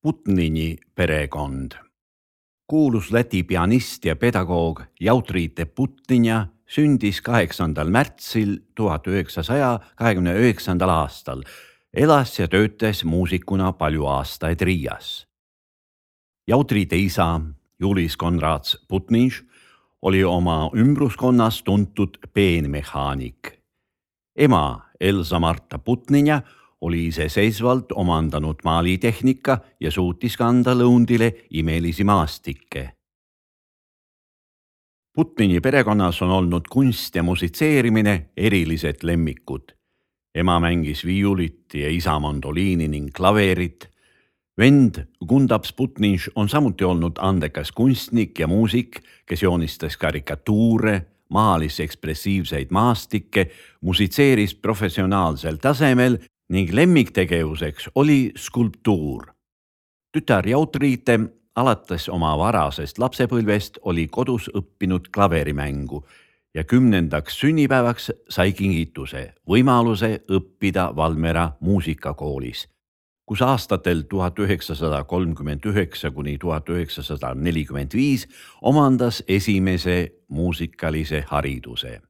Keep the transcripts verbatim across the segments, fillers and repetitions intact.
Putnini perekond. Kuulus Läti pianist ja pedagoog Jautriite Putninja sündis kaheksandal märtsil tuhat üheksasaja kahekümne üheksandal aastal. Elas ja töötas muusikuna palju aastaid Riias. Jautriite isa Julis Konrads Putninš oli oma ümbruskonnas tuntud peenmehaanik. Ema Elsa Marta Putninja oli iseseisvalt omandanud maalitehnika ja suutis kanda lõundile imelisi maastikke. Putnini perekonnas on olnud kunst ja musitseerimine erilised lemmikud. Ema mängis viiulit ja isa mandoliini ning klaverit. Vend Gundabs Putninš on samuti olnud andekas kunstnik ja muusik, kes joonistas karikatuure, maalis ekspressiivseid maastikke, musitseeris professionaalsel tasemel ning lemmiktegevuseks oli skulptuur. Tütar Jautriite alates oma varasest lapsepõlvest oli kodus õppinud klaverimängu ja kümnendaks sünnipäevaks sai kingituse võimaluse õppida Valmiera muusikakoolis, kus aastatel tuhat üheksasada kolmkümmend üheksa kuni tuhat üheksasada nelikümmend viis omandas esimese muusikalise hariduse.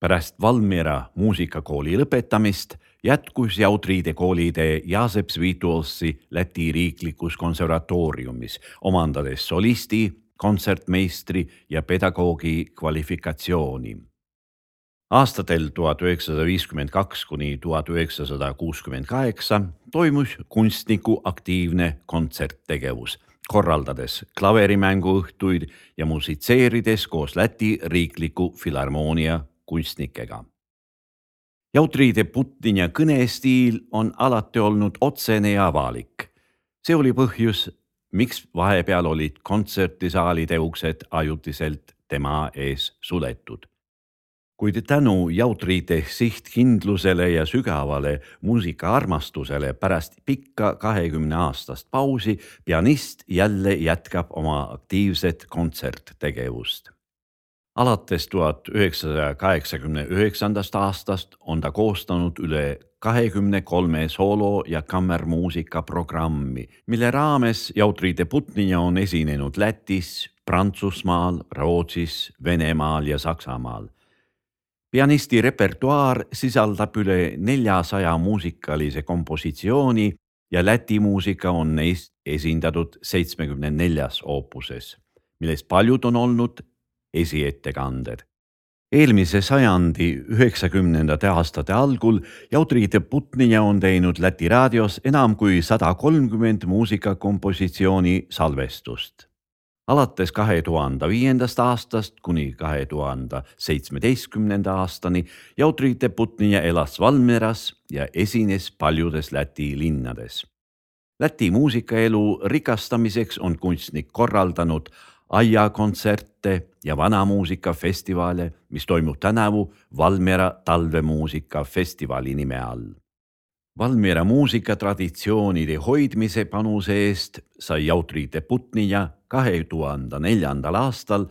Pärast Valmiera muusikakooli lõpetamist jätkus Jautriite koolitee Jāzeps Vītolsi Läti riiklikus konservatooriumis, omandades solisti, kontsertmeistri ja pedagoogi kvalifikatsiooni. Aastatel tuhat üheksasada viiskümmend kaks kuni tuhat üheksasada kuuskümmend kaheksa toimus kunstniku aktiivne kontserttegevus, korraldades klaverimänguõhtuid ja musitseerides koos Läti riikliku filharmoonia kunstnikega. Jautriite Putninja kõnestiil on alati olnud otsene ja avalik. See oli põhjus, miks vahepeal olid kontsertisaalide uksed ajutiselt tema ees suletud. Kuid tänu Jautriite sihtkindlusele ja sügavale muusikaarmastusele pärast pikka kahekümne aastast pausi pianist jälle jätkab oma aktiivset kontserttegevust. Alates tuhat üheksasaja kaheksakümne üheksandast aastast on ta koostanud üle kahekümne kolme soolo- ja kammermuusika programmi, mille raames Jautriite Putninja on esinenud Lätis, Prantsusmaal, Rootsis, Venemaal ja Saksamaal. Pianisti repertuaar sisaldab üle neljasaja muusikalise kompositsiooni ja Läti muusika on neist esindatud seitsmekümne neljas oopuses, millest paljud on olnud esiettekanded. Eelmise sajandi üheksakümnendate aastate algul Jautriite Putninja on teinud Läti raadios enam kui sada kolmkümmend muusikakompositsiooni salvestust. Alates kahe tuhande viiendast aastast kuni kahe tuhande seitsmeteistkümnenda aastani Jautriite Putninja elas Valmieras ja esines paljudes Läti linnades. Läti muusikaelu rikastamiseks on kunstnik korraldanud aiakontserte ja vanamuusikafestivale, mis toimub tänavu Valmiera talvemuusikafestivali nime all. Valmiera muusikatraditsioonide hoidmise panuse eest sai Jautriite Putninja kahe tuhande neljandal aastal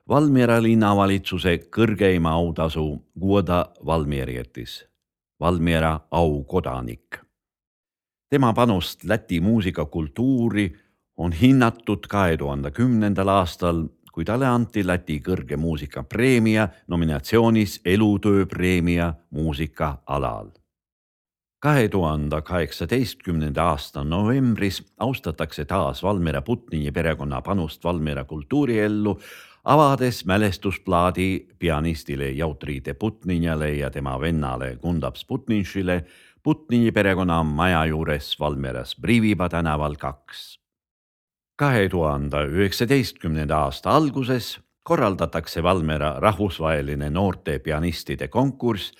Valmiera linnavalitsuse kõrgeima autasu Guoda Valmierietis, Valmiera aukodanik. Tema panust Läti muusikakultuuri on hinnatud kahe tuhande kümnendal aastal, kui talle anti Läti kõrge muusikapreemia nominatsioonis elutööpreemia muusika alal. kahe tuhande kaheksateistkümnenda aasta novembris austatakse taas Valmiera Putnini perekonna panust Valmiera kultuuriellu, avades mälestusplaadi pianistile Jautriite Putninjale ja tema vennale Gundabs Putninšile Putnini perekonna maja juures Valmieras Briviba tänaval kaks. kahe tuhande üheksateistkümnenda aasta alguses korraldatakse Valmiera rahvusvaheline noorte pianistide konkurss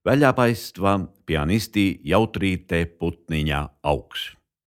väljapaistva pianisti Jautriite Putninja auks.